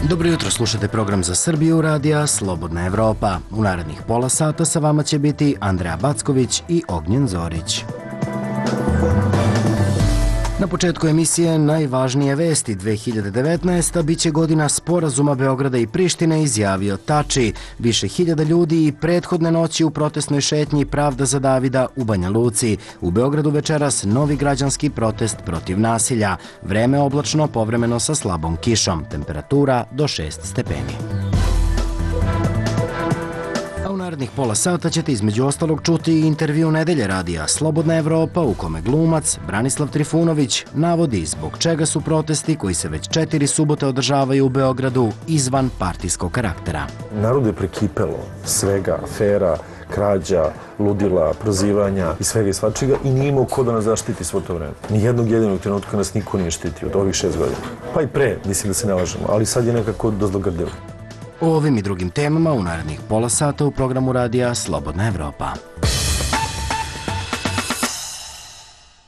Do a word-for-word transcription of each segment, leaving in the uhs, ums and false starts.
Dobro jutro, slušate program za Srbiju radija Slobodna Evropa. U narednih pola sata sa vama će biti Andreja Backović i Ognjen Zorić. Na početku emisije najvažnije vesti dve hiljade devetnaeste. biće godina sporazuma Beograda i Prištine, izjavio Tači. Više hiljada ljudi i prethodne noći u protestnoj šetnji Pravda za Davida u Banja Luci. U Beogradu večeras novi građanski protest protiv nasilja. Vreme oblačno, povremeno sa slabom kišom. Temperatura do šest stepeni. U narednih pola sata ćete između ostalog čuti intervju Nedelje radija Slobodna Evropa u kome glumac Branislav Trifunović navodi zbog čega su protesti koji se već četiri subote održavaju u Beogradu izvan partijskog karaktera. Narod je prekipelo svega, afera, krađa, ludila, prozivanja i svega i svačega i nije imao ko da nas zaštiti svo to vreme. Nijednog jedinog trenutka nas niko nije štitio od ovih šest godina. Pa i pre, mislim da se ne lažemo, ali sad je nekako dozlogrdilo. O ovim i drugim temama u narednih pola sata u programu radija Slobodna Evropa.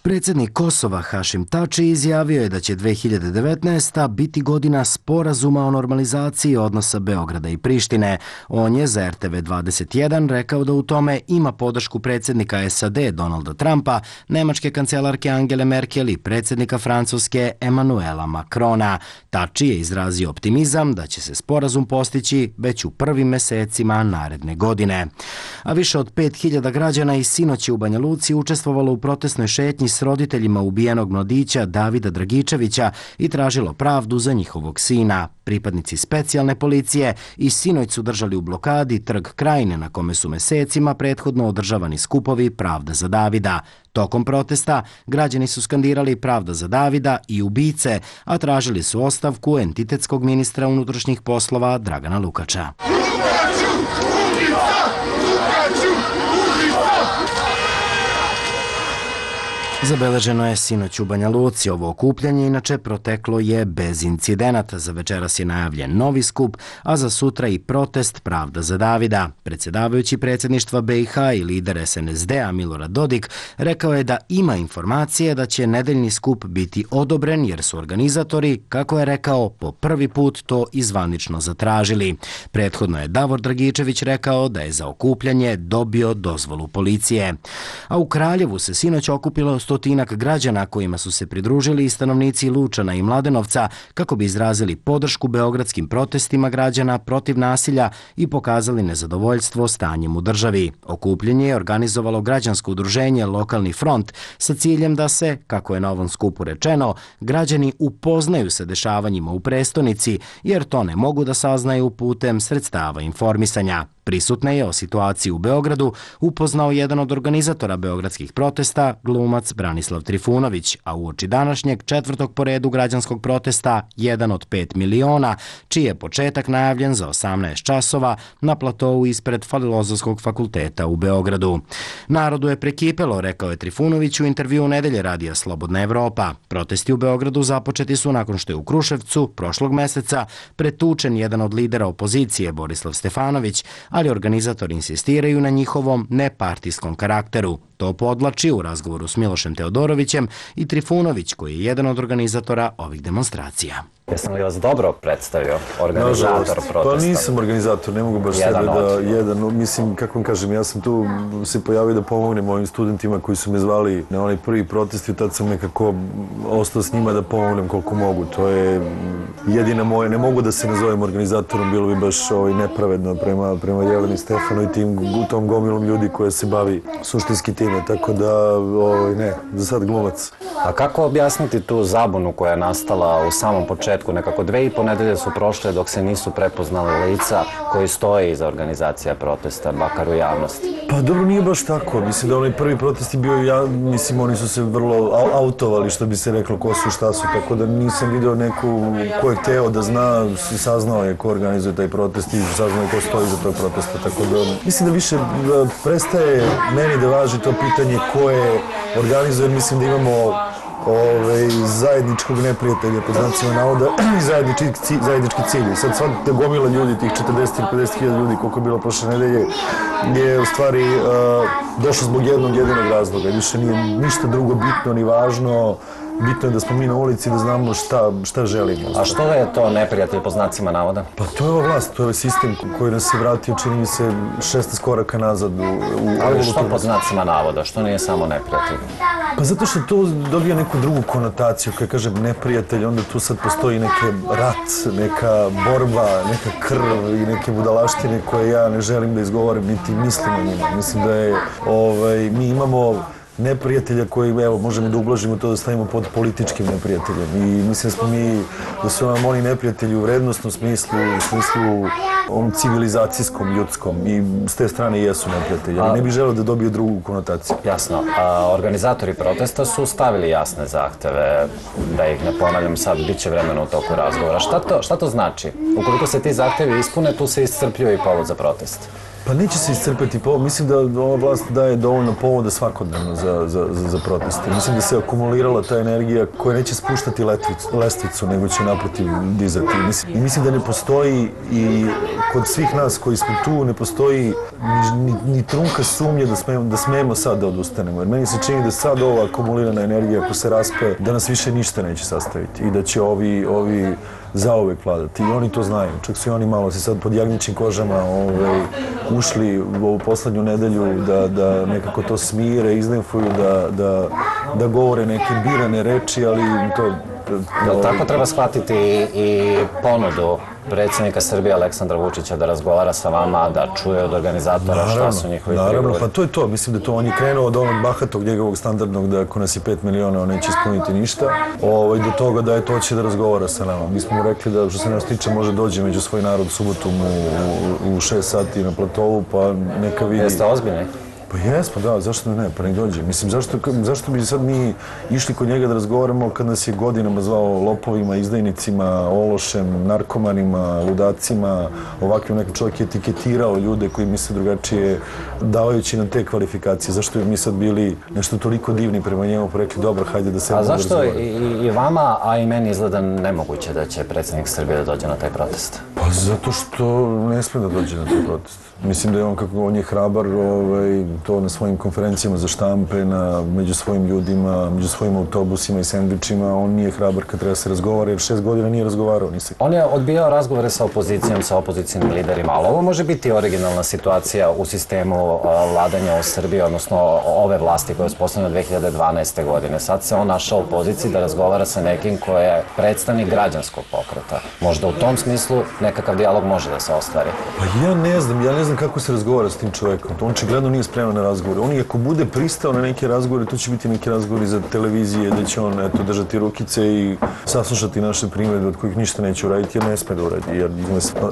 Predsjednik Kosova Hašim Tači izjavio je da će dve hiljade devetnaesta. biti godina sporazuma o normalizaciji odnosa Beograda i Prištine. On je za R T V dvadeset jedan rekao da u tome ima podršku predsjednika S A D Donalda Trumpa, nemačke kancelarke Angele Merkel i predsjednika Francuske Emanuela Macrona. Tači je izrazio optimizam da će se sporazum postići već u prvim mesecima naredne godine. A više od pet hiljada građana i sinoć je u Banja Luci učestvovalo u protestnoj šetnji s roditeljima ubijenog mladića Davida Dragičevića i tražilo pravdu za njihovog sina. Pripadnici specijalne policije i sinoć su držali u blokadi Trg Krajine na kome su mesecima prethodno održavani skupovi Pravda za Davida. Tokom protesta građani su skandirali Pravda za Davida i ubice, a tražili su ostavku entitetskog ministra unutrašnjih poslova Dragana Lukača. Zabeleženo je sinoć u Banja Luci. Ovo okupljanje inače proteklo je bez incidenata. Za večeras je najavljen novi skup, a za sutra i protest Pravda za Davida. Predsjedavajući predsjedništva B i H i lider S N S D-a Milorad Dodik rekao je da ima informacije da će nedeljni skup biti odobren jer su organizatori, kako je rekao, po prvi put to izvanično zatražili. Prethodno je Davor Dragičević rekao da je za okupljanje dobio dozvolu policije. A u Kraljevu se sinoć okupilo stotinak građana kojima su se pridružili i stanovnici Lučana i Mladenovca kako bi izrazili podršku beogradskim protestima građana protiv nasilja i pokazali nezadovoljstvo stanjem u državi. Okupljanje je organizovalo građansko udruženje Lokalni front sa ciljem da se, kako je na ovom skupu rečeno, građani upoznaju sa dešavanjima u prestonici jer to ne mogu da saznaju putem sredstava informisanja. Prisutne je o situaciji u Beogradu upoznao jedan od organizatora beogradskih protesta, glumac Branislav Trifunović, a uoči današnjeg četvrtog po redu građanskog protesta, jedan od pet miliona, čiji je početak najavljen za osamnaest časova na platovu ispred Filozofskog fakulteta u Beogradu. Narodu je prekipelo, rekao je Trifunović u intervju Nedelje radija Slobodna Evropa. Protesti u Beogradu započeti su nakon što je u Kruševcu prošlog meseca pretučen jedan od lidera opozicije, Borislav Stefanović, ali organizatori insistiraju na njihovom nepartijskom karakteru. To podlači u razgovoru s Milošem Teodorovićem i Trifunović, koji je jedan od organizatora ovih demonstracija. Jesam li vas dobro predstavio, organizator protesta? Pa nisam organizator, ne mogu baš sebe da jedan, mislim, kako vam kažem, ja sam tu se pojavio da pomognem mojim studentima koji su me zvali na onaj prvi protest i tad sam nekako ostao s njima da pomognem koliko mogu. To je jedina moja, ne mogu da se nazovem organizatorom, bilo bi baš ovaj, nepravedno prema, prema Jeleni Stefanu i tim, tom gomilom ljudi koja se bavi suštinski time, tako da, ovaj, ne, za sad glumac. A kako objasniti tu zabunu koja je nastala u samom početku? Nekako dve i po nedelje su prošle dok se nisu prepoznali lica koji stoje iza organizacija protesta, bakar u javnosti. Pa dobro, nije baš tako. Mislim da onaj prvi protest je bio, ja, mislim, oni su se vrlo autovali, što bi se reklo, ko su, šta su, tako da nisam vidio neku ko je hteo da zna, saznao je ko organizuje taj protest i saznao je ko stoji iza tog protesta, tako da mislim da više prestaje meni da važi to pitanje ko je organizuje, mislim da imamo Ove, zajedničkog neprijatelja, pod znacima navoda, i zajednički, zajednički cilj. Sad sva ta gomila ljudi, tih četrdeset ili pedeset hiljada ljudi, koliko je bilo prošle nedelje, je u stvari uh, došlo zbog jednog jedinog razloga. Više nije ništa drugo bitno ni važno, bitno je da smo mi na ulici, da znamo šta, šta želimo. A što je to neprijatelj po znacima navoda? Pa to je ova vlast, to je ovaj sistem koji nas je vratio, čini mi se, šesnaest koraka nazad u, u Ali što po znacima navoda? Što nije samo neprijatelj? Pa zato što to dobija neku drugu konotaciju, kada kažem neprijatelj, onda tu sad postoji neki rat, neka borba, neka krv i neke budalaštine koje ja ne želim da izgovorim, niti mislim o njima. Mislim da je, ovaj, mi imamo neprijatelja koji, evo, možemo da ublažimo to da stavimo pod političkim neprijateljem. I mislim da smo mi, da su nam oni neprijatelji u vrednostnom smislu, u smislu ovom civilizacijskom, ljudskom i s te strane jesu neprijatelji. Ali ne bih želeo da dobije drugu konotaciju. Jasno. A organizatori protesta su stavili jasne zahteve, da ih ne ponavljam sad, bit će vremena u toku razgovora. Šta to, šta to znači? Ukoliko se ti zahtevi ispune, tu se iscrpljuje i povod za protest. Pa neće se iscrpeti povod. Mislim da ova vlast daje dovoljno povoda svakodnevno za, za, za, za proteste. Mislim da se akumulirala ta energija koja neće spuštati letvicu, lestvicu, nego će naprotiv dizati. Mislim, i mislim da ne postoji i kod svih nas koji smo tu ne postoji ni, ni, ni trunka sumnje da smemo, da smemo sad da odustanemo. Jer meni se čini da sad ova akumulirana energija ako se raspe, da nas više ništa neće sastaviti i da će ovi, ovi zauvek vladati. I oni to znaju. Čak su i oni malo se sad pod jagnjećim kožama ovaj, ušli u ovu poslednju nedelju da, da nekako to smire, iznenfuju, da, da, da govore neke birane reči, ali to... Jel tako treba shvatiti i ponudu predsjednika Srbije Aleksandra Vučića da razgovara sa vama, da čuje od organizatora šta su njihovi prigovori? Naravno, pa to je to. Mislim da to on je krenuo od onog bahatog njegovog standardnog da ako nas je pet miliona on neće ispuniti ništa, ovaj, do toga da je to će da razgovara sa nama. Mi smo mu rekli da što se nas tiče može dođe među svoj narod subotom u, u, u šest sati na platovu, pa neka vidi... Jeste ozbiljni? Pa jesmo, da, zašto ne, pa nek dođe. Mislim, zašto, zašto bi sad mi išli kod njega da razgovaramo kad nas je godinama zvao lopovima, izdajnicima, ološem, narkomanima, ludacima, ovakvim nekim čovjek je etiketirao ljude koji misle drugačije, davajući nam te kvalifikacije. Zašto bi mi sad bili nešto toliko divni prema njemu, pa rekli, dobro, hajde da se... A zašto i, i vama, a i meni izgleda nemoguće da će predsjednik Srbije da dođe na taj protest? Pa zato što ne sme da dođe na taj protest. Mislim da je on, kako on je hrabar, ovaj, to na svojim konferencijama za štampe, na, među svojim ljudima, među svojim autobusima i sendvičima, on nije hrabar kad treba se razgovara, jer šest godina nije razgovarao. Nisi. On je odbijao razgovore sa opozicijom, sa opozicijnim liderima, ali ovo može biti originalna situacija u sistemu vladanja u Srbiji, odnosno ove vlasti koje je uspostavljena dve hiljade dvanaeste. godine. Sad se on našao u poziciji da razgovara sa nekim ko je predstavnik građanskog pokreta. Možda u tom smislu nekakav dijalog može da se ostvari. Pa ja ne znam, ja ne znam kako se razgovara s tim čovjekom. On očigledno nije spreman na razgovore. On i ako bude pristao na neke razgovore, to će biti neki razgovori za televizije, da će on eto, držati rukice i saslušati naše primjedbe od kojih ništa neće uraditi, jer ne sme da uradi. Jer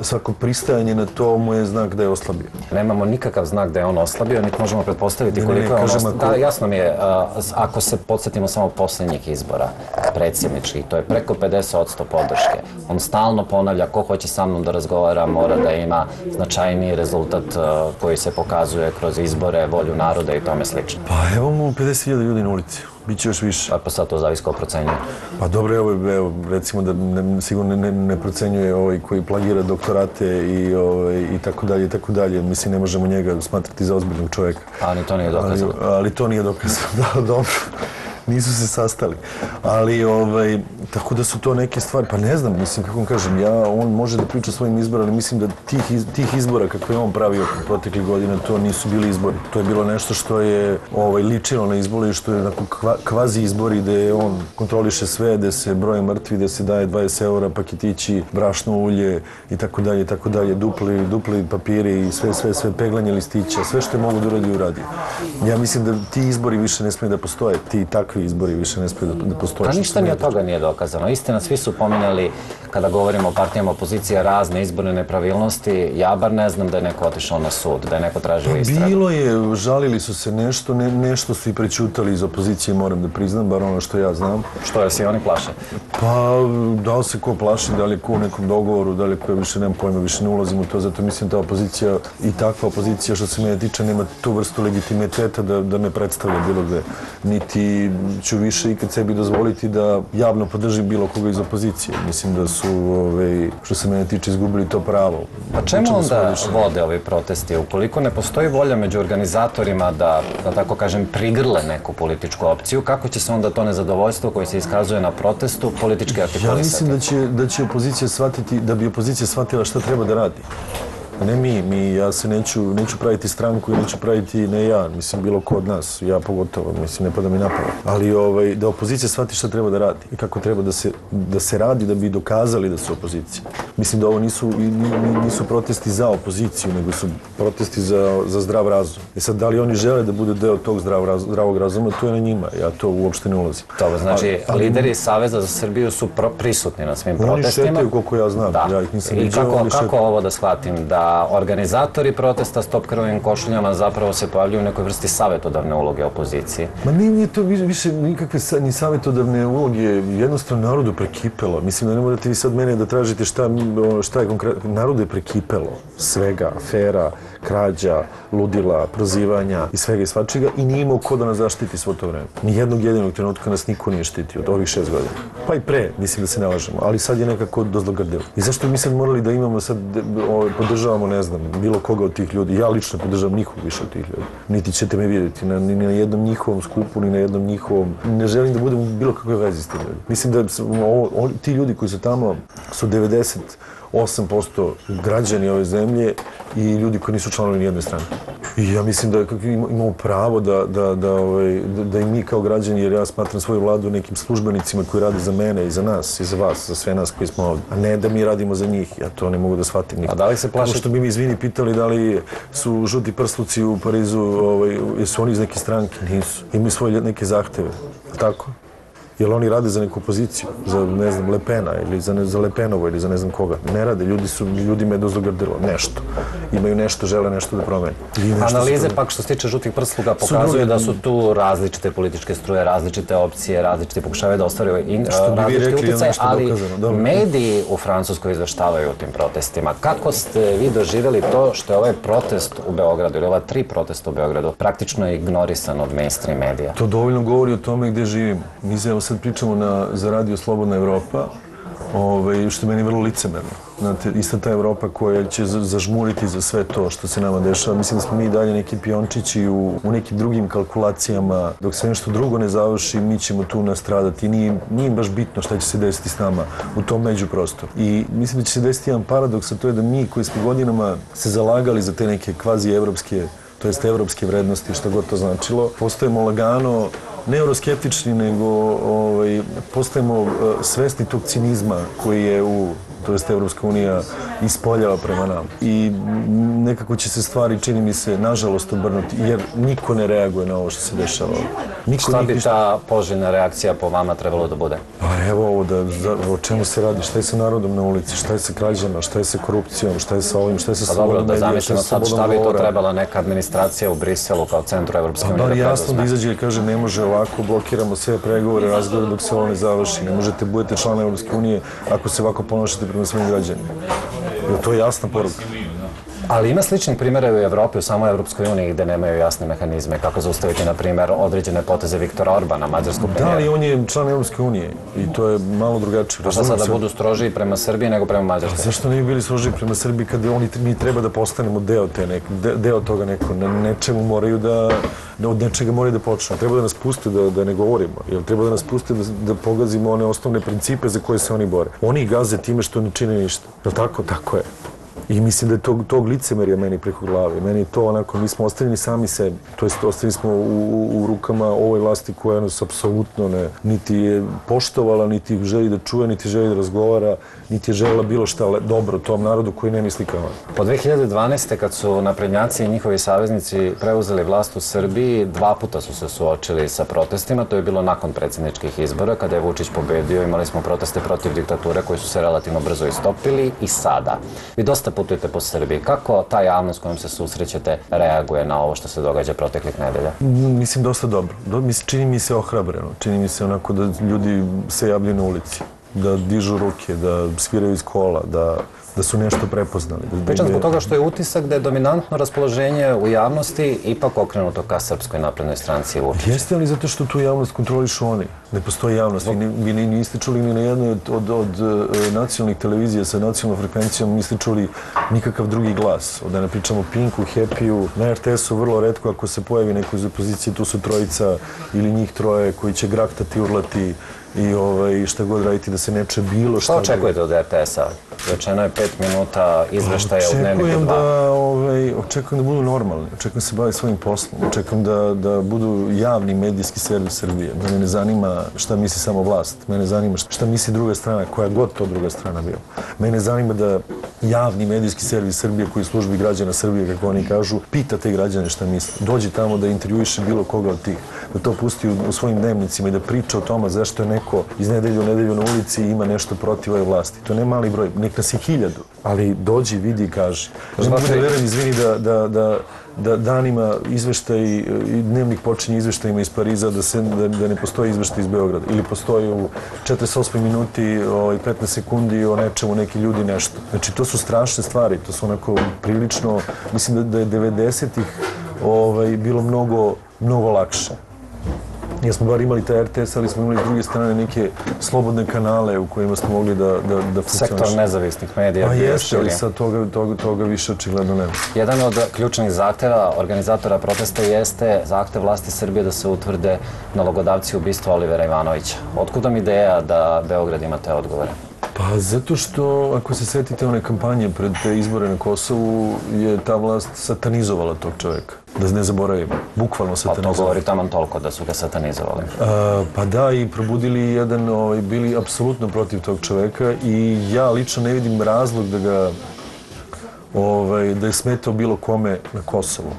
svako pristajanje na to mu je znak da je oslabio. Nemamo nikakav znak da je on oslabio, niti možemo pretpostaviti koliko je on oslabio. Da, jasno mi je, ako se podsjetimo samo posljednjih izbora predsjedničkih, to je preko pedeset posto podrške. On stalno ponavlja ko hoće sa mnom da razgovara, mora da ima značajniji rezultat koji se pokazuje kroz izbore, volju naroda i tome slično. Pa evo mu pedeset hiljada ljudi na ulici. Biće još više. Pa sad to zavisi ko procenjuje. Pa dobro, evo, evo recimo da ne, sigurno ne, ne procenjuje ovaj koji plagira doktorate i, ovaj, i tako dalje i tako dalje. Mislim, ne možemo njega smatrati za ozbiljnog čovjeka. Ali to nije dokazano. Ali, ali to nije dokazano, da, dobro. Nisu se sastali. Ali, ovaj, tako da su to neke stvari, pa ne znam, mislim, kako vam kažem, ja, on može da priča o svojim izbora, ali mislim da tih, iz, tih izbora kako je on pravio proteklih godina, to nisu bili izbori. To je bilo nešto što je ovaj, ličilo na izbori, što je onako kva, kvazi izbori gde on kontroliše sve, gde se broje mrtvi, gde se daje dvadeset eura paketići, brašno ulje i tako dalje, i tako dalje, dupli, dupli papiri i sve, sve, sve peglanje listića, sve što je mogu da uradi uradi. Ja mislim da ti izbori više ne smije da postoje, ti takvi izbori više ne smije da, da postoje. A ništa ni od toga nije dokazano. Istina, svi su pominjali, kada govorimo o partijama opozicije, razne izborne nepravilnosti. Ja bar ne znam da je neko otišao na sud, da je neko tražio istragu. Bilo je, žalili su se nešto, ne, nešto su i prećutali iz opozicije, moram da priznam, bar ono što ja znam. Što je, se oni plaše? Pa, da li se ko plaši, da li je ko u nekom dogovoru, da li je ko, više nemam pojma, više ne ulazim u to, zato mislim ta opozicija i takva opozicija što se mene tiče nema tu vrstu legitimiteta da, da me predstavlja bilo gde. Niti ću više ikad sebi dozvoliti da javno podržim bilo koga iz opozicije. Mislim da su, ovaj, što se mene tiče, izgubili to pravo. A čemu onda vode ovi protesti? Ukoliko ne postoji volja među organizatorima da, da tako kažem, prigrle neku političku opciju, kako će se onda to nezadovoljstvo koje se iskazuje na protestu politički artikulisati? Ja mislim da će, da će opozicija shvatiti, da bi opozicija shvatila šta treba da radi. Ne mi, mi, ja se neću, neću praviti stranku i neću praviti, ne ja, mislim, bilo ko od nas, ja pogotovo, mislim, ne pada mi napravo. Ali ovaj, da opozicija shvati šta treba da radi i kako treba da se, da se radi da bi dokazali da su opozicija. Mislim da ovo nisu, nisu protesti za opoziciju, nego su protesti za, za zdrav razum. I sad, da li oni žele da bude deo tog zdrav, raz, zdravog razuma, to je na njima, ja to uopšte ne ulazim. Dobro, znači, ali, lideri Saveza za Srbiju su pro, prisutni na svim protestima. Oni šetaju koliko ja znam, da. Ja ih nisam I viđao. kako, kako šetaju. Ovo da shvatim, da organizatori protesta Stop krvavim košuljama zapravo se pojavljuju u nekoj vrsti savjetodavne uloge opozicije? Ma nije to više nikakve ni savjetodavne uloge, jednostavno narodu prekipelo. Mislim da ne morate vi sad mene da tražite šta, šta je konkretno. Narodu je prekipelo svega, afera, krađa, ludila, prozivanja i svega i svačega i nije imao ko da nas zaštiti svo to vreme. Nijednog jedinog trenutka nas niko nije štitio od ovih šest godina. Pa i pre, mislim da se ne lažemo, ali sad je nekako dozlogrdilo. I zašto mi sad morali da imamo sad, podržavamo, ne znam, bilo koga od tih ljudi. Ja lično podržavam nikog više od tih ljudi. Niti ćete me vidjeti na, ni na jednom njihovom skupu, ni na jednom njihovom... Ne želim da budem u bilo kakve vezi s tim ljudi. Mislim da ovo, o, ti ljudi koji su tamo su devedeset osam posto građani ove zemlje i ljudi koji nisu članovi nijedne strane. I ja mislim da imamo pravo da, da, da, ovaj, da, da i mi kao građani, jer ja smatram svoju vladu nekim službenicima koji rade za mene i za nas i za vas, za sve nas koji smo ovdje, a ne da mi radimo za njih. Ja to ne mogu da shvatim nikad. A da li se plaši? Kao što bi mi, izvini, pitali da li su žuti prsluci u Parizu, ovaj, jesu oni iz neke stranke? Nisu. Imaju svoje neke zahteve. Tako? Jel oni rade za neku poziciju, za, ne znam, Le Pena ili za, ne, za Le Penovo ili za ne znam koga. Ne rade, ljudi su, ljudima je dozlogrdilo nešto. Imaju nešto, žele nešto da promene. Analize pak što se tiče žutih prsluga pokazuju da su tu različite političke struje, različite opcije, različite pokušavaju da ostvaruju različite utjecaje, ali mediji u Francuskoj izveštavaju o tim protestima. Kako ste vi doživjeli to što je ovaj protest u Beogradu ili ova tri protesta u Beogradu praktično ignorisan od mainstream medija? To dovoljno govori o tome gdje živimo. Mi se, evo sad pričamo na, za radio Slobodna Evropa, ovaj, što je meni vrlo licemerno. Znate, ista ta Evropa koja će zažmuriti za sve to što se nama dešava. Mislim da smo mi dalje neki piončići u, u nekim drugim kalkulacijama. Dok se nešto drugo ne završi, mi ćemo tu nastradati. Nije, nije baš bitno šta će se desiti s nama u tom međuprostoru. I mislim da će se desiti jedan paradoks, a to je da mi koji smo godinama se zalagali za te neke kvazi-evropske, to jest evropske vrednosti, što god to značilo, postajemo lagano ne euroskeptični, nego ovaj, postajemo uh, svesni tog cinizma koji je u, to jest Evropska unija, ispoljava prema nam. I nekako će se stvari, čini mi se, nažalost obrnuti, jer niko ne reaguje na ovo što se dešava. Niko, šta bi ta poželjna reakcija po vama trebalo da bude? Pa evo ovo, da, da, o čemu se radi, šta je sa narodom na ulici, šta je sa krađama, šta je sa korupcijom, šta je sa ovim, šta je sa slobodom medija, šta je sa slobodom govora. Šta bi to trebala neka administracija u Briselu kao centru Evropske unije da preduzme? Bar jasno da izađe i kaže ne može ovako, blokiramo sve pregovore, razgovore dok se ovo ne završi. Ne možete budete član Evropske unije ako se ovako ponašate prema svojim građanima. Jer to je jasna poruka. Ali ima sličnih primjera u Evropi, u samoj Evropskoj uniji, gde nemaju jasne mehanizme. Kako zaustaviti, na primjer, određene poteze Viktora Orbana, mađarskog premijera? Da, ali on je član Evropske unije i to je malo drugačije. A šta sad da budu strožiji prema Srbiji nego prema Mađarskoj? Zašto ne bi bili strožiji prema Srbiji kada oni, mi treba da postanemo deo, te nek, de, deo toga neko, na nečemu moraju da, od nečega moraju da počnu. Treba da nas puste da, da ne govorimo, jer treba da nas puste da, da pogazimo one osnovne principe za koje se oni bore. Oni gaze time što ne čine ništa. Je li tako? Tako je. I mislim da je tog, tog licemerja meni preko glave. Meni je to onako, mi smo ostavljeni sami sebi. To jest, ostavljeni smo u, u, u rukama ovoj vlasti koja nas apsolutno ne, niti je poštovala, niti želi da čuje, niti želi da razgovara, niti je želela bilo šta dobro tom narodu koji ne misli kao on. Po dve hiljade dvanaeste. kad su naprednjaci i njihovi saveznici preuzeli vlast u Srbiji, dva puta su se suočili sa protestima. To je bilo nakon predsjedničkih izbora, kada je Vučić pobedio. Imali smo proteste protiv diktature koji su se relativno brzo istopili i sada. Vi dosta putujete po Srbiji. Kako ta javnost kojom se susrećete reaguje na ovo što se događa proteklih nedelja? Mislim, dosta dobro. Čini mi se ohrabreno. Čini mi se onako da ljudi se javljaju na ulici, da dižu ruke, da sviraju iz kola, da da su nešto prepoznali. Pričam zbog toga što je utisak da je dominantno raspoloženje u javnosti ipak okrenuto ka Srpskoj naprednoj stranci Vučića. Jeste li zato što tu javnost kontrolišu oni? Ne postoji javnost. Vi niste čuli ni na jednoj od nacionalnih televizija sa nacionalnom frekvencijom, niste čuli nikakav drugi glas. Da ne pričamo o Pinku, Happy-u, na er te esu vrlo retko ako se pojavi neko iz opozicije, tu su trojica ili njih troje koji će graktati, urlati i šta god raditi da se neče bilo šta. Šta očekujete od er te esa? Rečeno je pet minuta izveštaja u Dnevniku dva. Očekujem da budu normalni, očekujem da se bave svojim poslom, očekujem da budu javni medijski servis Srbije. Mene ne zanima šta misli samo vlast, mene zanima šta misli druga strana, koja god to druga strana bio. Mene zanima da javni medijski servis Srbije koji službi građana Srbije, kako oni kažu, pita te građane šta misli. Dođe tamo da intervjuiše bilo koga od tih, da to pusti u svojim dnevnicima i da priča o tome zašto je neko iz nedelju u nedelju na ulici i ima nešto protiv ove vlasti. To ne mali broj, nek nas je hiljadu, ali dođi, vidi i kaži. Ne mogu da verujem, izvini, da danima izveštaj, dnevnik počinje izveštajima iz Pariza, da ne postoji izveštaj iz Beograda. Ili postoji u četrdeset osmoj minuti i petnaest sekundi o nečemu, neki ljudi nešto. Znači, to su strašne stvari, to su onako prilično, mislim da je devedesetih bilo mnogo, mnogo lakše. Jer smo bar imali taj er te es, ali smo imali s druge strane neke slobodne kanale u kojima smo mogli da funkcioniš. Sektor nezavisnih medija. Pa jeste, ali sad toga više očigledno nema. Jedan od ključnih zahteva organizatora protesta jeste zahtev vlasti Srbije da se utvrde nalogodavci ubistva Olivera Ivanovića. Otkud vam ideja da Beograd ima te odgovore? Pa zato što, ako se setite one kampanje pred te izbore na Kosovu, je ta vlast satanizovala tog čoveka. Da ne zaboravimo, bukvalno satanizovala. Pa to govori taman toliko da su ga satanizovali. Pa da, i probudili jedan, bili apsolutno protiv tog čoveka i ja lično ne vidim razlog da ga, da je smetao bilo kome na Kosovu,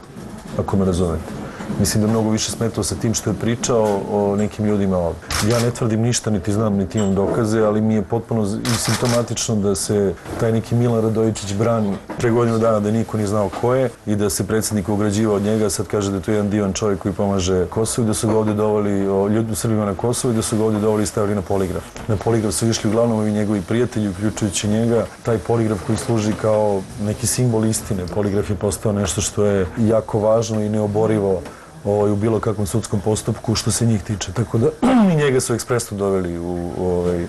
ako me razumete. Mislim da je mnogo više smetao sa tim što je pričao o nekim ljudima ovdje. Ja ne tvrdim ništa, niti znam, niti imam dokaze, ali mi je potpuno simptomatično da se taj neki Milan Radojičić brani pre godinu dana da niko nije znao ko je i da se predsjednik ograđivao od njega, sad kaže da je to jedan divan čovjek koji pomaže Kosovu i da su ga ovdje doveli, ljudi u Srbima na Kosovu i da su ga ovdje doveli i stavili na poligraf. Na poligraf su išli uglavnom ovi njegovi prijatelji, uključujući njega. Taj poligraf koji služi kao neki simbol istine. Poligraf je postao nešto što je jako važno i neoborivo u bilo kakvom sudskom postupku što se njih tiče. Tako da i njega su ekspresno doveli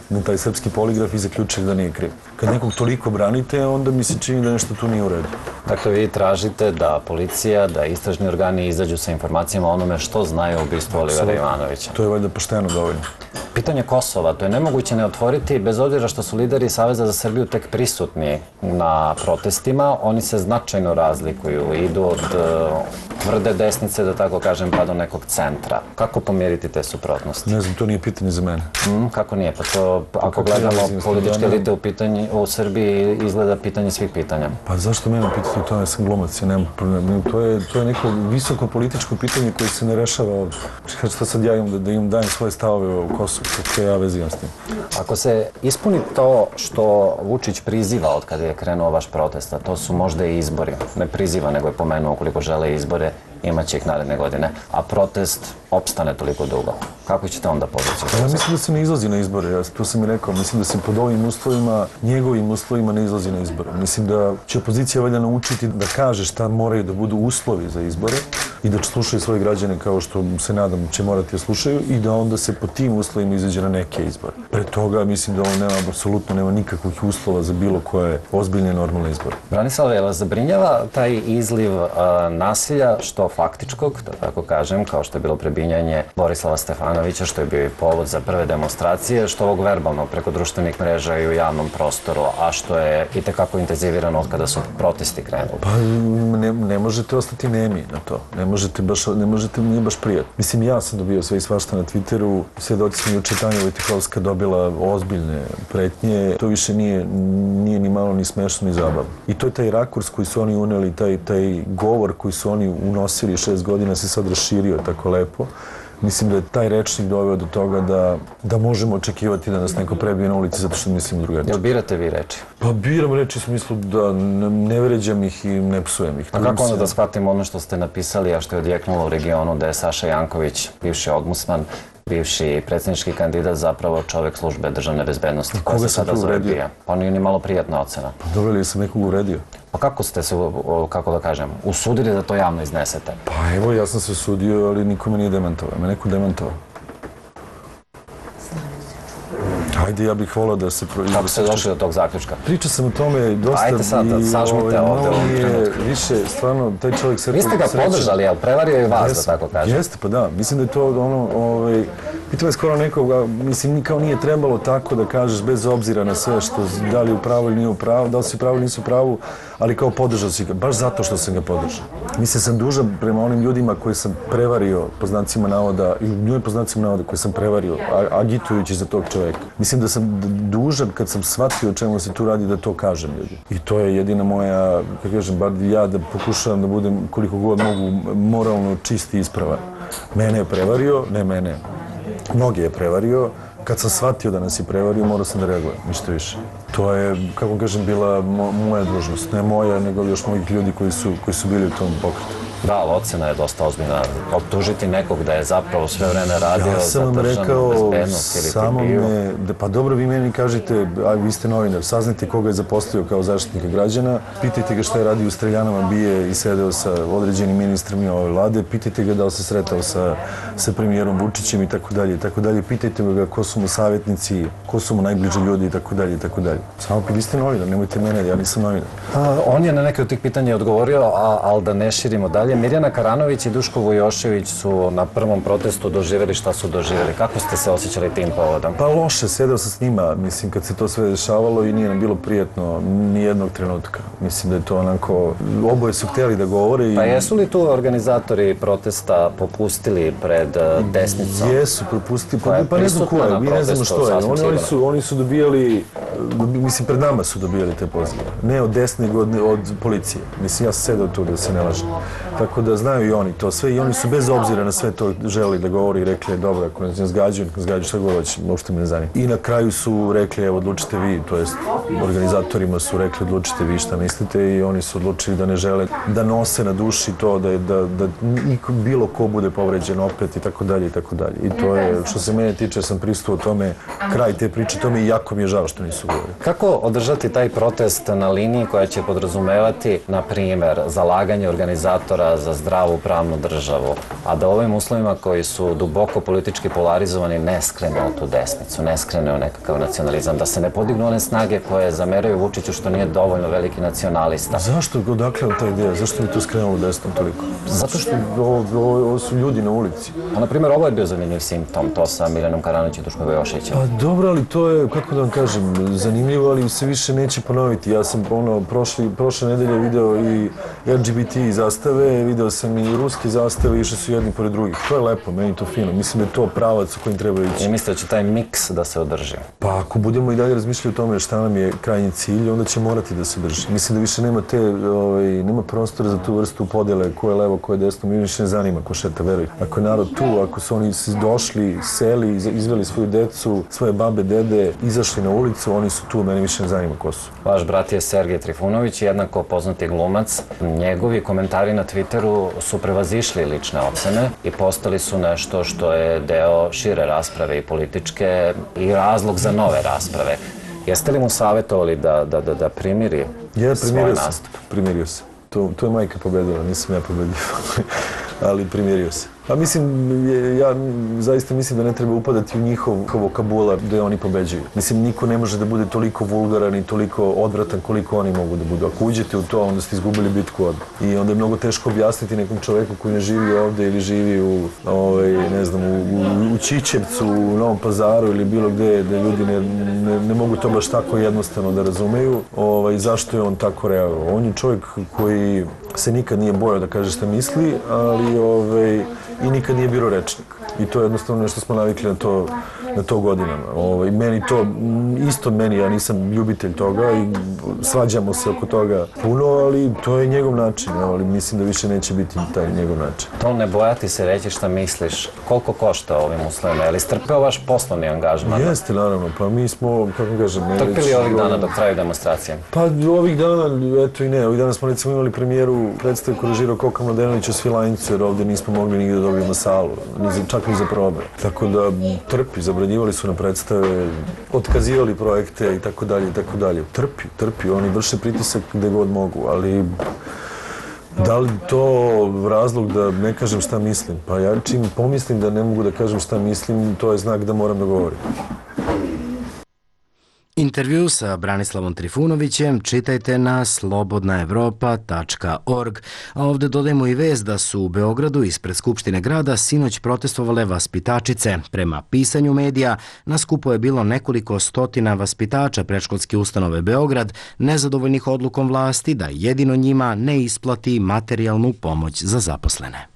na taj srpski poligraf i zaključili da nije kriv. Kad nekog toliko branite, onda mi se čini da nešto tu nije u redu. Dakle, vi tražite da policija, da istražni organi izađu sa informacijama o onome što znaju o ubistvu Olivera Ivanovića. To je valjda pošteno dovoljno. Pitanje Kosova, to je nemoguće ne otvoriti, bez obzira što su lideri Saveza za Srbiju tek prisutni na protestima. Oni se značajno razlikuju, idu od tvrde desnice, da tako kažem, pa do nekog centra. Kako pomiriti te suprotnosti? Ne znam, to nije pitanje za mene. Kako nije? Pa to, ako gledamo političke elite u Srbiji, izgleda pitanje svih pitanja. Pa zašto mene pitati to? Ja sam glumac, ja nemam problema. To je neko visoko političko pitanje koje se ne rešava ovdje. Šta sad ja imam da im dajem svoje stavove u Kosovu? Kako ja vezivam s tim? Ako se ispuni to što Vučić priziva od kada je krenuo vaš protest, a to su možda i izbori, ne priziva, nego je pomenuo ukoliko žele izbore, imaće ih naredne godine, a protest opstane toliko dugo. Kako ćete onda povući? Ja mislim da se ne izlazi na izbore, to sam i rekao. Mislim da se pod ovim uslovima, njegovim uslovima ne izlazi na izbore. Mislim da će opozicija valjda naučiti da kaže šta moraju da budu uslovi za izbore i da slušaju svoje građane kao što se nadam će morati da slušaju i da onda se pod tim uslovima izađe na neke izbore. Pre toga mislim da ovo nema, apsolutno nema nikakvih uslova za bilo koje ozbiljne normalne izbore. Branislav, je li vas zabrinjava taj izliv nasilja, što faktičkog, da tako kažem, kao što je bilo prebijanje Borislava Stefanovića, što je bio i povod za prve demonstracije, što ovog verbalnog preko društvenih mreža i u javnom prostoru, a što je i tekako intenzivirano od kada su protesti krenuli? Pa ne možete ostati nemi na to. Ne možete baš, ne možete, nije baš prijatno. Mislim, ja sam dobio sve i svašta na Twitteru, svedoci smo juče Tanja Vojtehovska dobila ozbiljne pretnje. To više nije ni malo ni smešno ni zabavno. I to je taj rakurs koji su oni uneli, taj govor koji su oni unosili šest godina se sad raširio tako lepo. Mislim da je taj rečnik doveo do toga da možemo očekivati da nas neko prebije na ulici zato što mislimo drugačije. Jel birate vi reči? Pa biram reči u smislu da ne vređam ih i ne psujem ih. A kako onda da shvatim ono što ste napisali, a što je odjeknulo u regionu, da je Saša Janković, bivši ombudsman, bivši predsjednički kandidat, zapravo čovjek službe državne bezbednosti. Koga sam tu uvredio? Pa nije ni malo prijatna ocena. Pa dobro li sam nekog uvredio? Pa kako ste se, kako da kažem, usudili da to javno iznesete? Pa evo, ja sam se usudio, ali niko me nije demantovao. Me neko demantovao. Ajde, ja bih volao da se... Kako ste došli do tog zaključka? Pričao sam o tome dosta... Ajde sad, sažmite ovde u ovom trenutku. Više, stvarno, taj čovjek se... Vi ste ga podržali, ali prevario i vas, da tako kažem. Jeste, pa da. Mislim da je to ono... Pitao je skoro nekoga, mislim, kao nije trebalo tako da kažeš, bez obzira na sve što, da li je u pravu ili nije u pravu, da li si u pravu ili nisu u pravu, ali kao podržao si ga, baš zato što sam ga podržao. Mislim, sam dužan prema onim ljudima koji sam prevario, po znacima navoda, i ljudima po znacima navoda koji sam prevario, agitujući za tog čovjeka. Mislim da sam dužan, kad sam shvatio o čemu se tu radi, da to kažem ljudi. I to je jedina moja, kako kažem, bar ja da pokušavam da budem koliko god mogu moralno čist i ispravan. Mene je prevario, ne mene, mnogi je prevario. Kad sam shvatio da nas je prevario, morao sam da reagujem, ništa više. To je, kako kažem, bila moja dužnost. Ne moja, nego još mojih ljudi koji su, koji su bili u tom pokretu. Da, ali ocena je dosta ozbiljna. Optužiti nekog da je zapravo sve vreme radio za državnu bezbednost ili ti bio. Me, da, pa dobro, vi meni kažete, a vi ste novinar, saznajte koga je zaposlio kao zaštitnika građana, pitajte ga šta je radio u streljanama, bije i sedeo sa određenim ministrima ove vlade, pitajte ga da li se sretao sa, sa premijerom Vučićem i tako dalje i tako dalje, pitajte ga ko su mu savjetnici, ko su mu najbliži ljudi i tako dalje i tako dalje. Samo vi ste novinar, nemojte mene, ja nisam novinar. A, on je na neke od tih pitanja odgovorio, a, ali da ne širimo dalje. Mirjana Karanović i Duško Vujošević su na prvom protestu doživjeli šta su doživjeli. Kako ste se osjećali tim povodom? Pa loše, sedeo sam s njima, mislim, kad se to sve dešavalo i nije nam bilo prijatno ni jednog trenutka. Mislim da je to onako, oboje su htjeli da govore i... Pa jesu li tu organizatori protesta popustili pred desnicom? Jesu, propustili, pa, pa ne znam ko je, mi ne znamo što je. Oni, oni, su, oni su dobijali, mislim, pred nama su dobijali te pozive. Ne od desne, nego od, od policije. Mislim, ja sam sedeo tu da se ne lažem. Tako da znaju i oni to sve i oni su bez obzira na sve to želi da govori i rekli dobro, ako nas ne zgađaju, ne zgađaju šta god hoće, uopšte me ne zanima. I na kraju su rekli evo odlučite vi, to jest organizatorima su rekli odlučite vi šta mislite i oni su odlučili da ne žele da nose na duši to da, da, da bilo ko bude povređen opet i tako dalje i tako dalje. I to je, što se mene tiče, sam prisutuo o tome, kraj te priče tome i jako mi je žao što nisu govorili. Kako održati taj protest na liniji koja će podrazumevati, na primjer, zalaganje organizatora za zdravu pravnu državu, a da ovim uslovima koji su duboko politički polarizovani ne skrene u tu desnicu, ne skrene u nekakav nacionalizam, da se ne podignu one snage koje zameraju Vučiću što nije dovoljno veliki nacionalista. Zašto? Odakle je ta ideja? Zašto mi to skrenulo desnom toliko? Zato što ovo, ovo, ovo su ljudi na ulici. A, na primjer, ovo je bio zanimljiv simptom, to sa Miljanom Karanović i Duškom Vujoševićem. Pa dobro, ali to je, kako da vam kažem, zanimljivo, ali se više neće ponoviti. Ja sam ono, prošli, prošle nedelje video i L G B T zastave, video sam i ruske zastave, išli su jedni pored drugih. To je lepo, meni to fino. Mislim da je to pravac u kojim treba ići. I mislite da će taj miks da se održi? Pa ako budemo i dalje razmišljali o tome šta nam je krajnji cilj, onda će morati da se drži. Mislim da više nema te, ovaj, nema prostora za tu vrstu podjele, ko je levo, ko je desno, mi više ne zanima ko šeta, veruj. Ako je narod tu, ako su oni došli, seli, izveli svoju decu, svoje babe, dede, izašli na ulicu, oni su tu, mene više ne zanima ko su. Vaš brat je Sergej Trifunović, jednako poznati glumac. Njegovi komentari na Twitteru su prevazišli lične ocene i postali su nešto što je deo šire rasprave i političke i razlog za nove rasprave. Jeste li mu savjetovali da, da, da, da primiri ja, svoj nastup? Primirio se. To, to je majka pobedila, nisam ja pobedio, ali primirio se. Pa mislim, ja zaista mislim da ne treba upadati u njihov vokabular da oni pobeđuju. Mislim, niko ne može da bude toliko vulgaran i toliko odvratan koliko oni mogu da budu. Ako uđete u to, onda ste izgubili bitku odmah. I onda je mnogo teško objasniti nekom čoveku koji ne živi ovde ili živi u, ovaj, ne znam, u, u, u Čičevcu, u Novom Pazaru ili bilo gde, da ljudi ne, ne, ne mogu to baš tako jednostavno da razumeju. Ovaj, zašto je on tako reagovao? On je čovjek koji se nikad nije bojao da kaže šta misli, ali ovaj, i nikad nije bio rečnik. I to je jednostavno nešto smo navikli na to na to godinama. Ovaj, meni to, isto meni, ja nisam ljubitelj toga i svađamo se oko toga puno, ali to je njegov način, ali mislim da više neće biti taj njegov način. To ne bojati se reći šta misliš, koliko košta ovim uslovima, je li strpeo vaš poslovni angažman? Jeste, naravno, pa mi smo, kako kažem... Trpili ovih dana dok traju demonstracije? Pa ovih dana, eto i ne, ovih dana smo recimo imali premijeru predstavu koju režirao Koka Mladenović u Svilajncu, jer ovdje nismo mogli nigde da dobijemo salu, čak ni za probe. Tako da trpi, zabranjivali su na predstave, otkazivali projekte i tako dalje i tako dalje. Trpi, trpi, oni vrše pritisak gde god mogu, ali da li to razlog da ne kažem šta mislim? Pa ja čim pomislim da ne mogu da kažem šta mislim, to je znak da moram da govorim. Intervju sa Branislavom Trifunovićem čitajte na slobodna evropa tačka org. A ovdje dodajemo i vest da su u Beogradu ispred Skupštine grada sinoć protestovale vaspitačice. Prema pisanju medija, na skupu je bilo nekoliko stotina vaspitača predškolske ustanove Beograd, nezadovoljnih odlukom vlasti da jedino njima ne isplati materijalnu pomoć za zaposlene.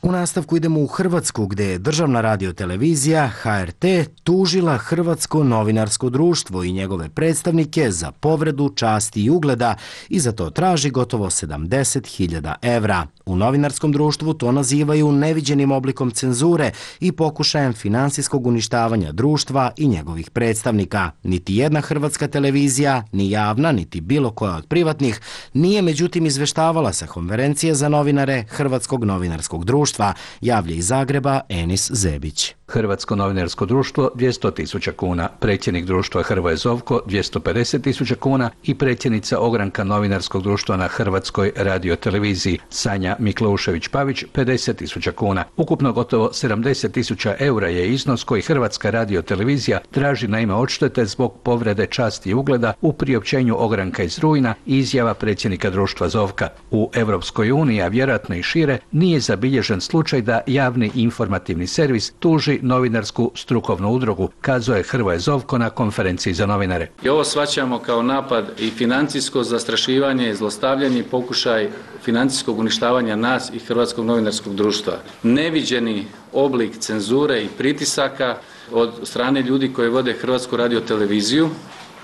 U nastavku idemo u Hrvatsku, gde je državna radiotelevizija H R T tužila Hrvatsko novinarsko društvo i njegove predstavnike za povredu časti i ugleda i za to traži gotovo sedamdeset hiljada evra. U novinarskom društvu to nazivaju neviđenim oblikom cenzure i pokušajem finansijskog uništavanja društva i njegovih predstavnika. Niti jedna hrvatska televizija, ni javna, niti bilo koja od privatnih, nije međutim izveštavala sa konferencije za novinare Hrvatskog novinarskog društva, javlja iz Zagreba Enis Zebić. Hrvatsko novinarsko društvo dvjesto tisuća kuna, predsjednik društva Hrvoje Zovko dvjesto pedeset tisuća kuna i predsjednica ogranka novinarskog društva na Hrvatskoj radioteleviziji Sanja Mikleušević-Pavić pedeset tisuća kuna. Ukupno gotovo sedamdeset tisuća eura je iznos koji Hrvatska radiotelevizija traži na ime odštete zbog povrede časti i ugleda u priopćenju ogranka iz rujna i izjava predsjednika društva Zovka. U Europskoj uniji, a vjerojatno i šire, nije zabilježen slučaj da javni informativni servis tuži novinarsku strukovnu udrugu, kazao je Hrvoje Zovko na konferenciji za novinare. I ovo shvaćamo kao napad i financijsko zastrašivanje, zlostavljanje i pokušaj financijskog uništavanja nas i Hrvatskog novinarskog društva. Neviđeni oblik cenzure i pritisaka od strane ljudi koji vode Hrvatsku radioteleviziju.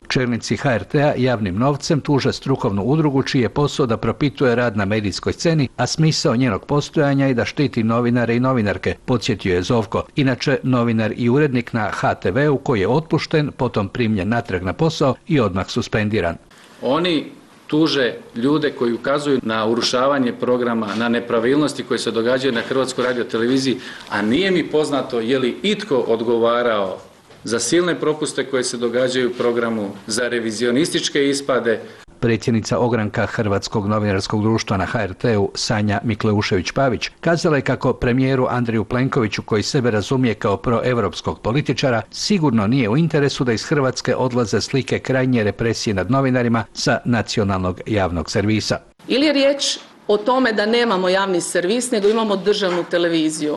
Čelnici H R T-a javnim novcem tuže strukovnu udrugu čiji je posao da propituje rad na medijskoj sceni, a smisao njenog postojanja je da štiti novinare i novinarke, podsjetio je Zovko. Inače, novinar i urednik na H T V-u koji je otpušten, potom primljen natrag na posao i odmah suspendiran. Oni tuže ljude koji ukazuju na urušavanje programa, na nepravilnosti koje se događaju na Hrvatskoj radioteleviziji, a nije mi poznato je li itko odgovarao za silne propuste koje se događaju u programu, za revizionističke ispade. Predsjednica ogranka Hrvatskog novinarskog društva na H R T-u Sanja Mikleušević-Pavić kazala je kako premijeru Andreju Plenkoviću, koji sebe razumije kao proevropskog političara, sigurno nije u interesu da iz Hrvatske odlaze slike krajnje represije nad novinarima sa nacionalnog javnog servisa. Ili je riječ o tome da nemamo javni servis, nego imamo državnu televiziju?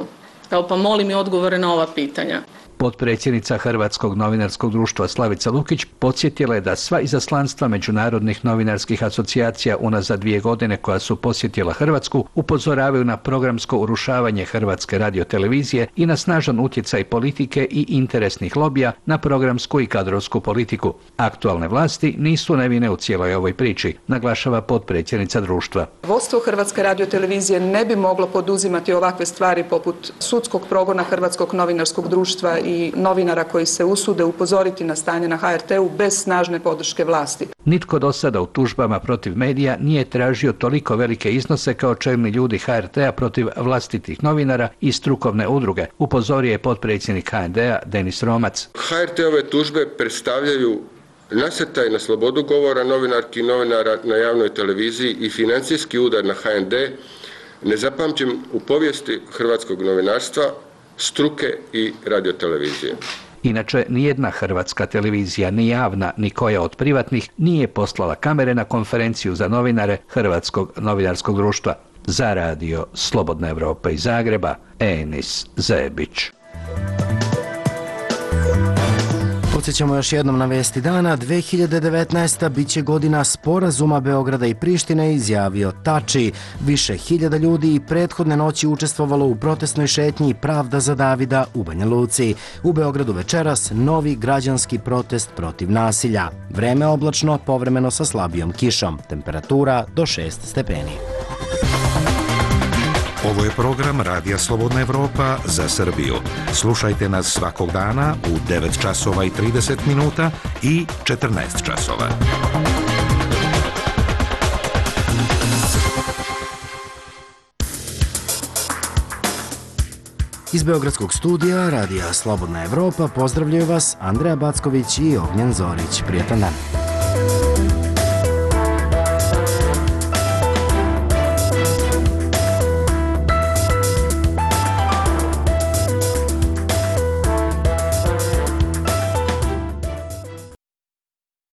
Evo pa molim i odgovore na ova pitanja. Potpredsjednica Hrvatskog novinarskog društva Slavica Lukić podsjetila je da sva izaslanstva međunarodnih novinarskih asocijacija unazad dvije godine koja su posjetila Hrvatsku upozoravaju na programsko urušavanje Hrvatske radiotelevizije i na snažan utjecaj politike i interesnih lobija na programsku i kadrovsku politiku. Aktualne vlasti nisu nevine u cijeloj ovoj priči, naglašava potpredsjednica društva. Vodstvo Hrvatske radiotelevizije ne bi moglo poduzimati ovakve stvari poput sudskog progona Hrvatskog novinarskog društva i i novinara koji se usude upozoriti na stanje na H R T-u bez snažne podrške vlasti. Nitko do sada u tužbama protiv medija nije tražio toliko velike iznose kao čelni ljudi H R T-a protiv vlastitih novinara i strukovne udruge, upozorio je potpredsjednik H N D-a Denis Romac. H R T-ove tužbe predstavljaju nasrtaj na slobodu govora novinarki i novinara na javnoj televiziji i financijski udar na H N D, nezapamćen u povijesti hrvatskog novinarstva, struke i radiotelevizije. Inače, nijedna hrvatska televizija, ni javna, ni koja od privatnih, nije poslala kamere na konferenciju za novinare Hrvatskog novinarskog društva. Za radio Slobodna Evropa iz Zagreba, Enis Zebić. Podsjećamo još jednom na vesti dana. dve hiljade devetnaesta biće godina sporazuma Beograda i Prištine, izjavio Tači. Više hiljada ljudi i prethodne noći učestvovalo u protestnoj šetnji Pravda za Davida u Banja Luci. U Beogradu večeras novi građanski protest protiv nasilja. Vreme oblačno, povremeno sa slabijom kišom. Temperatura do šest stepeni. Ovo je program Radija Slobodna Evropa za Srbiju. Slušajte nas svakog dana u devet časova i trideset minuta i četrnaest časova. Iz Beogradskog studija Radija Slobodna Evropa pozdravljaju vas Andreja Backović i Ognjen Zorić. Prijetan dan.